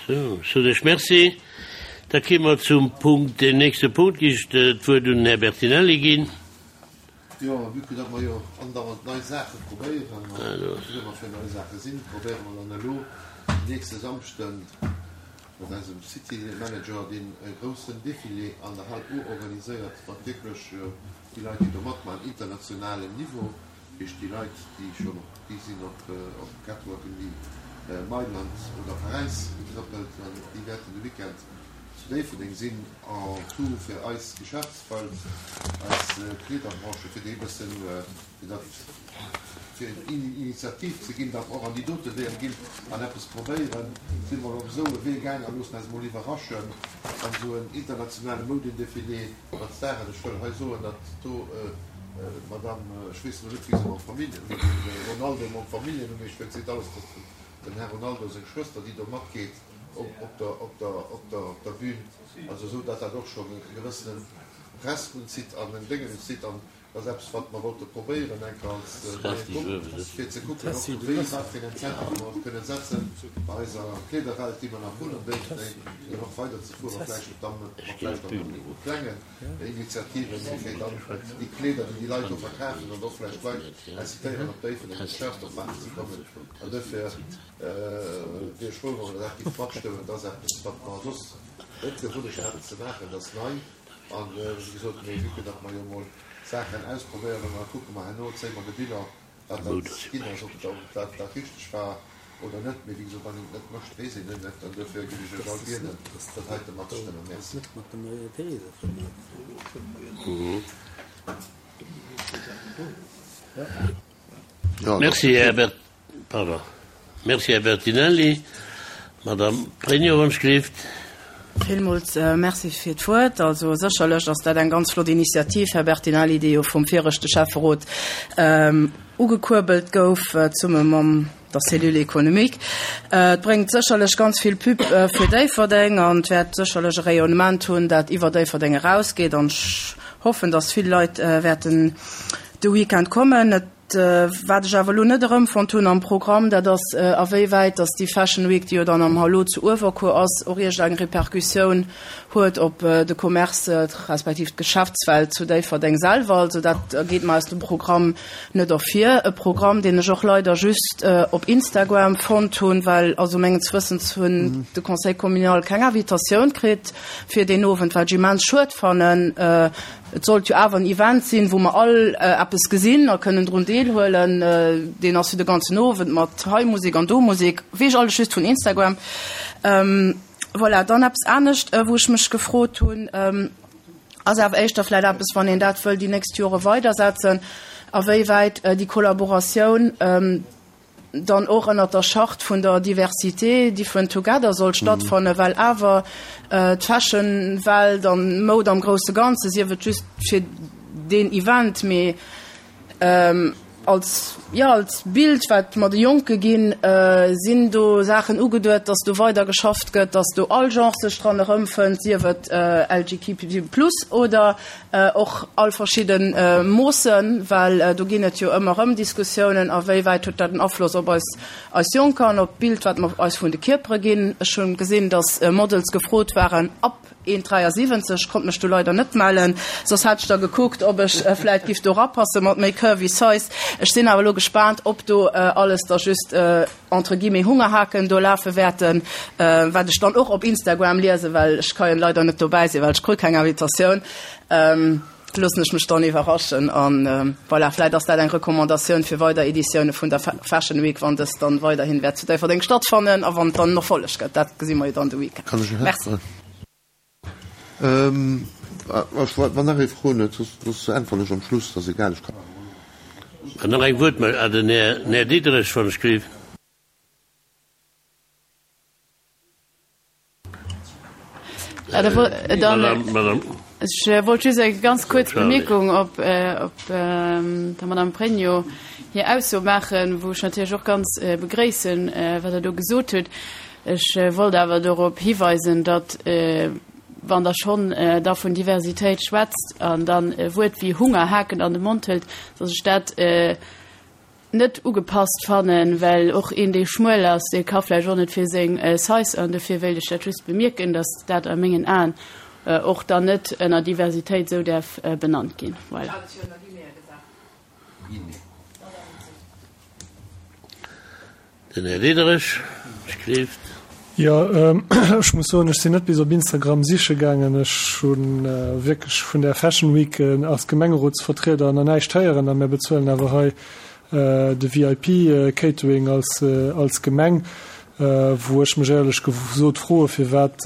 Sou, ech soen Iech Merci. Da kéime mer zum Punkt, deen nächste Punkt, gi ech d'Wuert un den Här Bertinelli ginn. Jo, vue que datt mer jo andauernd nei Saache probéieren, an wou mer fir nei Saache sinn, probéiere mer dann elo den nächste Samschden mat eisem City Manager deen e groussen Défilé an der Hal O organiséiert, mat wierklech déi Leit, déi do matmaachen, internationalem Niveau, dat heescht déi Leit, déi schonn op, déi sinn op op Catwalken wéi Mailand oder Paräis getrëppelt, an déi wäerten de Weekend zu Déifferdeng sinn. En tout fir eis Geschäftswelt, eis Kleederbranche, fir déi e bëssen, fir dat, fir eng Initiativ ze ginn, datt mer och an déi dote Weeër ginn an eppes probéieren, si mer op esou e Wee gaang a loossen eis emol iwwerraschen an esou en internationale Moudendefilé mat Staren. Ech wëll hei soen, datt do d'Madame, ech weess elo net, wéi se mam Familljen, wéi de Ronaldo mam Familljennumm heescht, well et seet alles, datt den Här Ronaldo seng Schwëster, déi do matgeet, op der, op der, op der, op der Bühn, also esou datt dat och schonn e gewëssene Press unzitt an en Déngen unzitt an dat ass eppes wat mer wollte probéieren eng Kéier als neie Grupp fir ze kucken och wéi, wat fir en Incentive mer och kënnen setzen bei eiser Kleederwelt déi mer nach hunn an Déifferdeng fir och weider ze fueren, vläicht och dann mat vläicht och méi klengen Initiativen, fir dann déi Kleeder déi déi Leit do verkafen an och vläicht d'Leit incitéieren op Déifferdeng Geschäftsopmaachen ze kommen an duerfir Wier ech frou, wa mer dat géife matstëmmen. Dat ass eppes, wat mer soss net d'Gewunnecht haten ze maachen. Dat ass nei. An, wéi gesot, mee vue que datt mer jo emol Saachen ausprobéieren, da kucke mer herno, zéie mer de Bilan, wat dat ginn ass, ob dat dat richteg war oder net. Mee wéi gesot, wann een et net mécht, weess een et net. An duerfir géif ech Iech all bieden, dat heite matzestëmmen. Merci. Merci, Här Bert. Pardon. Merci, Här Bertinelli. Madame Pregno, wann ech gleeft. Villmools Merci fir d'Wuert. Also sécherlech ass dat eng ganz flott Initiativ, Här Bertinelli, déi jo vum viregte Schäfferot ugekuerbelt gouf, zesumme mam der Cellule économique. Et bréngt sécherlech ganz vill Pub fir Déifferdeng an et wäert sécherlech e Rayonnement hunn, dat iwwer Déifferdeng erausgeet. An ech hoffen, dass vill Leit wäerten de Weekend kommen. Et Wat ech awer elo net erëmfonnt hunn am Programm, dat ass, awéiwäit datt déi Fashion Week, déi jo dann am Hallo zu Uewerkuer ass, och iergendeng Repercussioun huet op de Commerce respektiv d'Geschäftswelt zu Déifferdeng selwer. Also dat geet mer aus dem Programm net ervir. E Programm, deen ech och leider just op Instagram fonnt hunn, well also menges Wëssens hunn de Conseil communal keng Invitatioun kritt fir deen Owend, wat ech immens schued fannen. Et sollt jo awer en Event sinn, wou mer all eppes gesinn a kënnen drun deelhuelen. Deen ass jo de ganzen Owend mat hei Musek an do Musek, weess ech alles just vun Instagram. Voilà, dann eppes anescht, wou ech mech gefrot hunn, ass awer éischter vläicht eppes, wann een dat wëll déi nächst Jore weidersetzen, awéiwäit déi Kollaboratioun, dann och ënnert der Charte vun der Diversité, Different Together soll stattfannen, well awer d'Fashion-Welt an d'Moud am grousse Ganze, sief et just fir deen Event, mee als, jo, als Bild, wat mer de Jonke ginn, sinn do Saachen ugeduet, dass do weider geschafft gëtt, dass do all Genre sech dran erëmfënnt, sief et LGQB plus oder Och all verschidde Moossen, well do ginn et jo ëmmer erëm Diskussiounen, a wéi wäit huet dat en Afloss op eis, eis Jonker an op d'Bild, wat mer eis vun de Kierpere ginn. Ech hu gesinn, datt Models gefrot waren ab 1,73, konnt mech do leider net mellen, soss hätt ech da gekuckt, ob ech vläit giff do erapasse mat méi curvy size. Ech sinn awer elo gespaant, ob do alles da just entre guillemets Hungerhaken do lafe wäerten, wat ech dann och op Instagram liesen, well ech ka jo leider net dobäi sinn, well ech krut keng Invitatioun, loossen ech mech dann iwwerraschen an voilà, vläit ass dat eng Recommandatioun fir weider Editioune vun der Fashion Week, wann dës dann weiderhin wäert zu Déifferdeng stattfannen a wann et dann en Erfolleg gëtt, dat gesi mer jo dann de Weekend. Merci. Wann nach ee Froen huet, soss äntweren ech am Schluss, dat ass egal. Ech kann. An nach eng Wuertmeldung, ah, den Här Diderich, wann ech gleef. Ech wollt just eng ganz kuerz Bemierkung op der Madame Pregno hir Ausso maachen, wou ech natierlech och ganz begréissen, wat Der do gesot hutt. Ech wollt awer dorop hiweisen, datt, wann Der schonn da vun Diversitéit schwätzt an dann e Wuert wéi Hungerhaken an de Mond hëlt, datt ech dat. net ugepasst fannen, well och een, dee schmuel ass, dee ka vläicht och net fir seng Size an dofir wéilt ech dat just bemierken, datt dat a mengen Aen och dann net ënner Diversitéit esou däerf benannt ginn. Voilà. Den Här Diderich schrift. Jo, ech muss soen, ech sinn net bis op Instagram siche gaangen. Ech hu wierklech vun där Fashion Week als Gemengerotsvertrieder nach näischt héieren a mir bezuelen awer hei de VIP-Catering als Gemeng, wou ech mech éierlech gesot froe firwat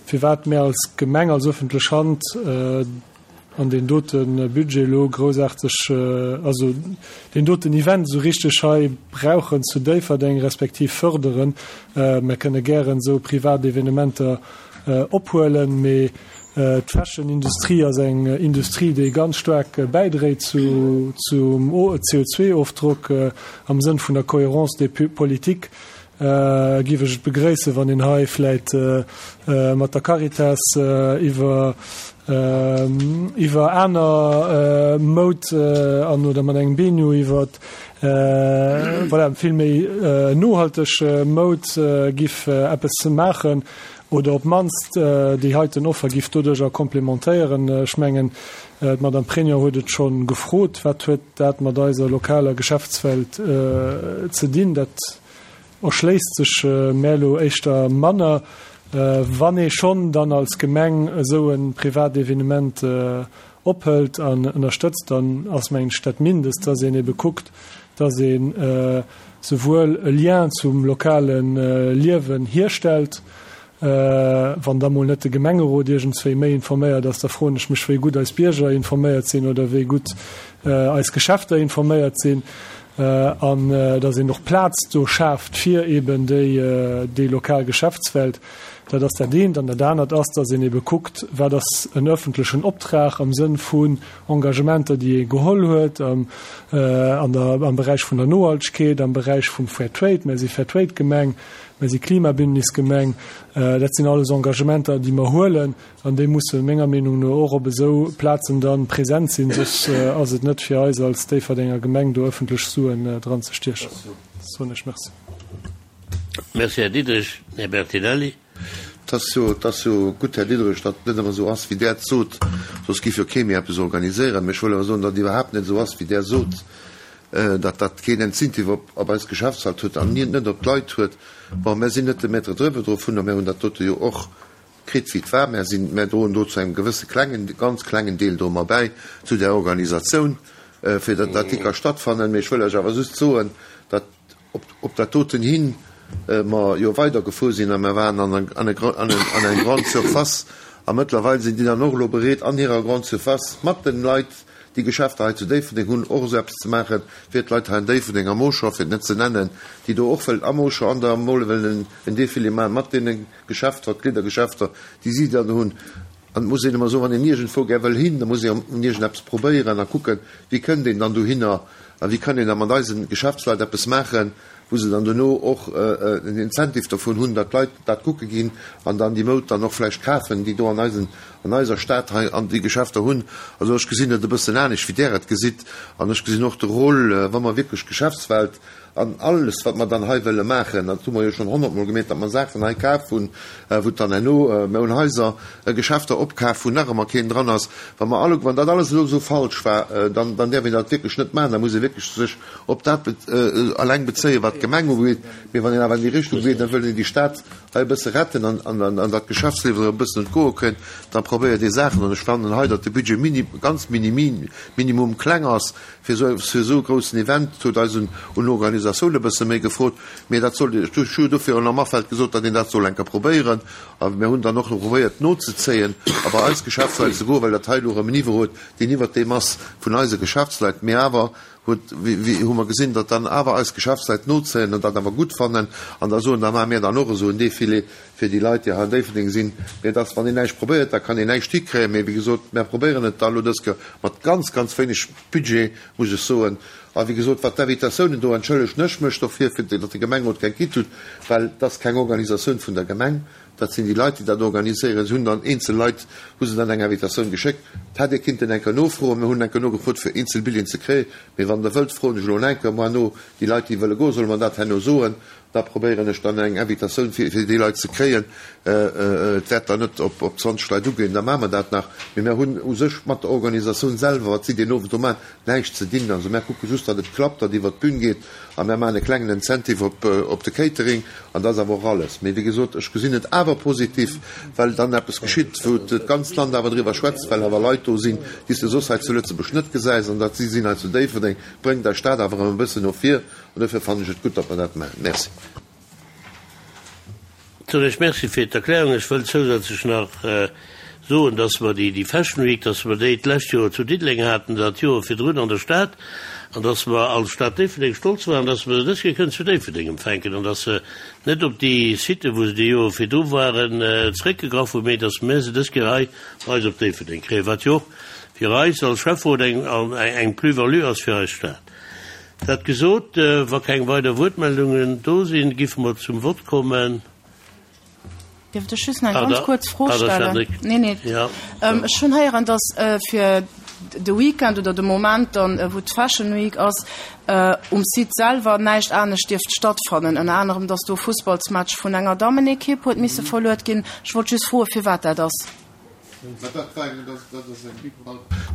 firwat mär als Gemeng, als öffentlech Hand, an deen dote Budget elo groussaarteg, also deen doten Event esou richteg hei brauchen zu Déifferdeng, respektiv fërderen. Mir kënne gären esou privat Evenementer ophuelen, mee d'Fashion-Industrie ass eng Industrie, déi ganz staark bäidréit zum CO2-Ofdrock am Sënn vun der Cohérence des politiques. Giff ech et begréissen, wann een hei vläit mat der Caritas iwwer iwwer aner Moud an oder mat engem Benu iwwer voilà vill méi nohalteg Moud giff eppes maachen oder op d'mannst déi heiten Offer giff doduercher komplementéieren. Ech mengen, d'Madame Pregno huet et scho gefrot, wat huet dat mat eiser lokaler Geschäftswelt ze dinn? Dat erschléisst sech mär elo éischter manner. Wann ee schonn dann als Gemeng esou e privat Evenement ophëlt an ënnerstëtzt, dann ass, mengen ech, dat Mindest, dass een ebe kuckt, dass ee souwuel e Lien zum lokale Liewen hierstellt, Wann da mol net de Gemengerot iergendswéi méi informéiert ass, da froen ech mech, wéi gutt eis Bierger informéiert sinn oder wéi gutt eis Geschäfter informéiert sinn. An datt een och Plaz do schaaft fir eeben déi lokal Geschäftswelt. Dat ass dat eent. An dat anert ass, datt een eebe kuckt, wat ass en öffentlechen Optrag am Sënn vun Engagementer, déi ee geholl huet am Beräich vun der Nohaltegkeet, am Beräich vum Fair Trade. Mir si Fair-Trade-Gemeng. Mir si Klimabündnisgemeng. Dat sinn alles Engagementer, déi mer huelen, an déi musse menger Meenung no och op esou Plazen da present sinn, soss ass et net fir eis als Déifferdenger Gemeng, do ëffentlech Suen dran ze stiechen. Soen ech Merci. Merci, Här Diderich. Här Bertinelli. Et ass jo, et ass jo gutt, Här Diderich, datt et net ëmmer esou ass, wéi Der et sot, soss géif jo kee méi eppes organiséieren. Mä ech wëll awer soen, datt et iwwerhaapt net esou ass, wéi Der sot. datt dat keen Incentive op op eis Geschäftswelt huet an net op d'Leit huet. Bon, mär sinn net de Maître driwwer dovunner, mär hunn dat dote jo och kritt wéi et war. Mär sinn, mär droen do zu engem gewësse klengen, ganz klengen Deel do mat bäi zu där Organisatioun, fir datt dat ka stattfannen. Mee ech wëll lech awer just soen, datt op op dat doten hin mer jo weidergefuer sinn a mer waren an an an eng Grande Surface a mëttlerweil sinn déi dann och elo bereet an hirer Grande Surface mat den Leit, déi Geschäfter hei zu Déifferdeng hunn, och esou eppes ze maachen, fir d'Leit hei an Déifferdeng, am Auchan, fir et net ze nennen, déi do och wëllen am Auchan an der Mall wëllen en Défilé maachen mat deene Geschäfter, Kleedergeschäfter, déi si dann hunn. An et muss een ëmmer soen, wann een iergendwou gär wëll hin, da muss ee iergendeppes probéieren a kucken, wéi kënnt een dann dohinner a wéi kann een da mat eise Geschäftsleit eppes maachen, wou se dann dono och en Incentive dovun hunn, datt d'Leit dat kucke ginn an dann déi Moud dann och vläicht kafen, déi do an eisen, an eiser Stad hei an déi Geschäfter hunn. Also ech gesinn et e bëssen anescht, wéi Der et gesitt. An ech gesinn och de Rôle, wa mer wierklech d'Geschäftswelt An alles, wat mer dann hei wëlle maachen, dat hu mer jo schonn honnertmol gemeet, datt mer Saachen hei kaf hunn, wou et dann herno, mer hunn Haiser, Geschäfter opkaf, wou nach ëmmer keen dran ass. Wa mer alle, wann dat alles elo esou falsch war, dann, dann däerf een dat wierklech net maachen. Da muss ee wierklech sech op dat eleng bezéien, wat d'Gemeng ugeet. Mee wann een awer an déi Richtung geet, da wëll een déi Stad hei e bësse retten an, an, an dat Geschäftsliewen e bëssen entgoe kënnt, da probéiert ee Saachen. An ech fannen hei, datt de Budget mini, ganz minimi, minimum kleng ass, Fir esou e groussen Event huet eis un Organisatioun e bësse méi gefrot, mee dat sollt, ech hu dofir am Afeld gesot, datt een dat soll eng Kéier probéieren. A mir hunn dann och elo probéiert nozezéien a bei eis Geschäftsleit ze goen, well dat hei elo erëm en Niveau huet, deen iwwert deem ass vun eise Geschäftsleit. Mee awer huet, hu mer gesinn, datt dann awer eis Geschäftsleit nozéien an dat awer gutt fannen an da soen, da maache mir dann och esou en Defilé fir déi Leit, déi hei an Déifferdeng sinn. Mee et ass, wann een näischt probéiert, da kann een näischt hikréien. Mee wéi gesot, mär probéieren et da elo dës Kéier mat ganz, ganz wéineg Budget, muss ech soen. A wéi gesot, wat d'Invitatiounen do, entschëllegen ech mech dofir, fir datt de Gemengerot keng kritt hutt, well et ass keng Organisatioun vun der Gemeng, dat sinn déi Leit, déi dat organiséieren. Se hunn dann eenzel Leit, hu se dann eng Invitatioun geschéckt. Et hätt ee kinnten eng Kéier nofroen. Mir hunn eng Kéier nogefrot, fir eenzel Billeten ze kréien. Mee wann Der wëllt, froen ech elo eng Kéier moar no. Déi Leit, déi wëlle goen, solle mer dat herno soen. Da probéieren ech dann eng Invitatioun fir déi Leit ze kréien. Et wäert dann net op 20 Leit ugeen, da maache mer dat nach. Mee mer hunn u sech mat der Organisatioun selwer, wat si deen Owend do maachen, näischt ze dinn. Also mär kucke just, datt et klappt, datt iwwert d'Bün geet a mär maachen e klengen Incentive op de Catering an dat ass awer och alles. Mee wéi gesot, ech gesinn et awer positiv, well dann eppes geschitt, wou d'ganzt Land awer driwwer schwätzt, well awer Leit do sinn, déi s de soss hei zu Lëtzebuerg net gesäis an datt si sinn hei zu Déifferdeng, bréngt eis Stad awer erëm e bëssen no vir. An dofir fannen ech et gutt, datt mer dat maachen. Merci. Soen ech Merci fir d'Erklärung. Ech wëll zousätzlech nach soen, dass mer déi Fashion Week, dass mer déi d'lescht Joer zu Diddeleng haten, dat Joer virdrun an der Stad, an dass mer als Stad Déifferdeng stolz waren, dass mer se dës Kéier kënnen zu Déifferdeng empfänken an dass se net op déi Siten, wou se déi Joer virdru waren, zréckgegraff hunn, mee dass mer se dës Kéier hei bei eis op Déifferdeng kréien, wat jo och fir eis als Schäfferot eng Plus-value ass fir eis Stad. Dat gesot, wa keng weider Wuertmeldungen do sinn, giffe mer zum Vott kommen. Dierft ech just nach eng ganz kuerz Fro stellen? Nee, nee. Ech hunn héieren, datt fir de Weekend oder de Moment dann, wou d'Fashion Week ass, um Site selwer näischt anescht dierft stattfannen. Ënner anerem, datt do e Fussballsmatch vun enger Dammenekipp huet misse verluet ginn. Ech wollt just froen, firwat dat ass.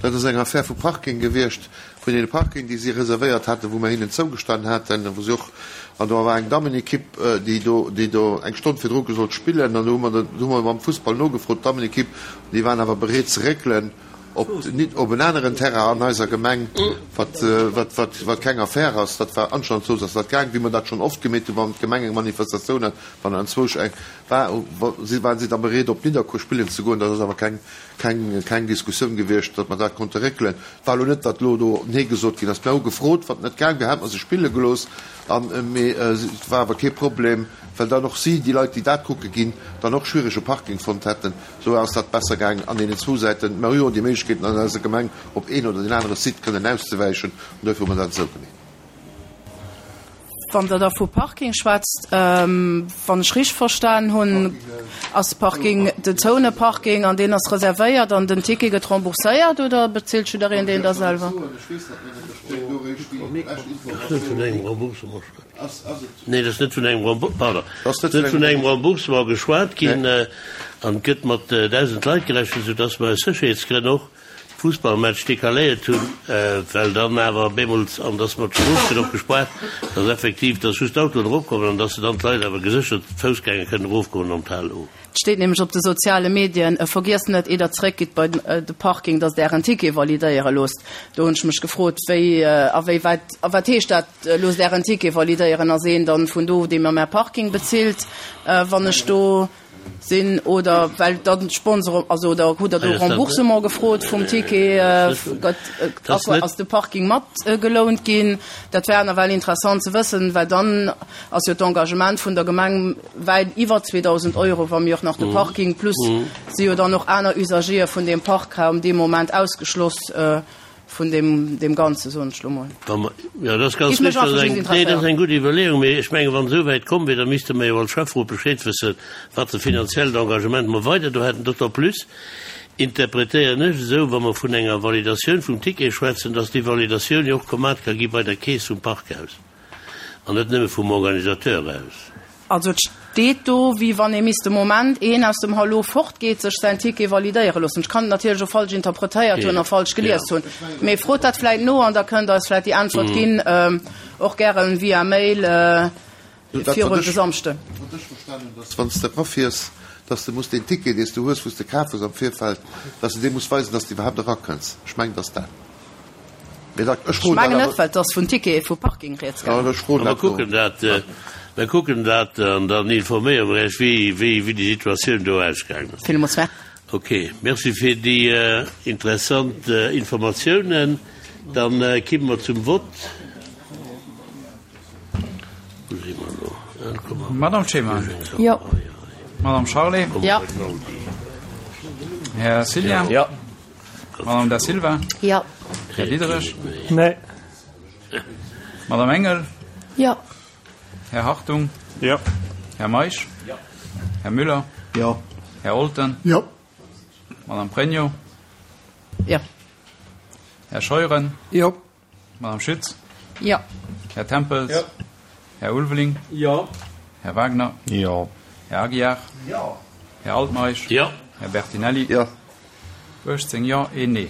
Dat ass eng Affär vu Parking gewiescht, vun deene Parking, déi si reservéiert haten, wou mer hinnen zougestanen haten, wou si och, an do war eng Dammenekipp, déi do, déi do eng Stonn virdru gesollt spillen, an do hu mer, do hu mer mam Fussball nogefrot, d'Dammenekipp, an déi waren awer bereet ze réckelen op, op en aneren Terrain an eiser Gemeng, wat, wat, wat, wat keng Affär ass. Dat war anscheinend esou ass dat gaang, wéi mer dat schonn oft gemeet hu wann d'Gemeng eng Manifestatioun hat, wann anzwousch eng. War, si waren si da bereet op Nidderkuer spillen ze goen. Dat ass awer keng, keng, keng Diskussioun gewiescht, datt mer dat konnte réckelen. Et war elo net, datt elo do Nee gesot ginn ass. Mir hu gefrot, wann et net gaang wier, hätte mer se spille gelooss. An, mee et war awer kee Problem, well dann och si, déi Leit, déi dat kucke ginn, dann och schwiereg e Parking fonnt hätten. Esou ass dat besser gaang an deenen zwou Säiten. Mer hu jo déi Méiglechkeeten an eiser Gemeng, op een oder deen anere Site kënnen auszewäichen. An duerfir hu mer dat esou gemeet. Wann Der da vu Parking schwätzt, wann ech richteg verstan hunn, ass Parking den zoune Parking an deen ass reservéiert an den Ticket gëtt rembourséiert oder bezilt jiddereen deen da selwer? Nee, et ass net vun engem Remboursement, pardon, et ass net vun engem Remboursement geschwat ginn an et gëtt mat 1.000 Leit gerechent, soudass mer aus Sécherheetsgrënn och Fussballmatch decaléiert hunn, well dann awer bemools, an dass mer d'Strooss gëtt och gespaart, dass effektiv, dass just d'Autoen eropkommen an dass se dann d'Leit awer geséchert, d'Foussgänger kënnen erofgoen an d'Hal O. Et steet nämlech op de soziale Medien, Vergiesst net, ier der zeréckgitt bei de Parking, dass der ären Ticket validéiere loosst. Do hunn ech mech gefrot, wéi a wéi wäit, a wat heescht dat, loosst ären Ticket validéieren? Ass een dann vun do, dee mer mäi Parking bezilt, wann ech do Sinn oder well dann d'Sponsoren, also oder hutt Der do Remboursement gefrot vum Ticket? Gëtt, ass de Parking mat gelount ginn? Dat wär nawell interessant ze wëssen, well dann ass jo d'Engagement vun der Gemeng wäit iwwer 2.000 Euro, wa mir och nach de Parking plus si jo dann och aner Usagere vun deem Parkraum dee Moment ausgeschloss. Vun deem, deem Ganze, soen ech lo mol. Jo, dat ass ganz Géif mech richtig. Dat einfach ass just eng, nee, dat ass interesséieren. eng gutt Iwwerleeung. Mee ech mengen, wann esou wäit komm wier, da misste mer jo als Schäfferot Bescheed wëssen, wat e finanziellt Engagement mer weider do hätten. D'autant plus interpretéieren ech esou, wa mer vun enger Validatioun vum Ticket schwätzen, dass déi Validatioun jo och gemat ka gi bei der Keess vum Parkhaus an net nëmme vum Organisateur aus. Also et steet do, wéi wann ee misst de Moment een aus dem Hallo fortgeet, sech säin Ticket validéiere loossen. Ech kann et natierlech och falsch interpretéiert hunn a falsch gelies hunn, mee frot dat vläit no an da kënnt Der eis vläit déi Äntwert ginn, och gären via Mail virun de Samschden. Wat ech verstanen hunn, dass wann s de erafiers, dass de muss deen Ticket, dee s de hues, wou s de kaf hues am Virfeld, dass de dee muss weisen, dass de iwwerhaapt erakënns. Ech mengen, dass dat. Ech mengen net, well et ass vun Tickete vu Parking rieds gaangen. Mer kucken dat, mer kucken dat an dann informéiere mer Iech, wéi, wéi, wéi déi Situatioun do ausgaangen ass. Villmools merci. Ok, merci fir déi interessant Informatiounen. Dann kimme mer zum Vott. Wou si mer elo? Madame Clement. Jo. Madame Charlé. Jo. Här Cillien. Jo. Madame Da Silva? Jo. Här Diderich? Nee. Madame Engel? Jo. Här Hartung? Jo. Här Meisch? Jo. Här Müller? Jo. Här Olten? Jo. Madame Pregno? Jo. Här Scheuren? Jo. Madame Schütz? Jo. Här Tempels? Jo. Här Ulveling? Jo. Här Wagner? Jo. Här Aguiar? Jo. Här Altmeisch? Jo. Här Bertinelli? Jo. 18 Jo, een Nee.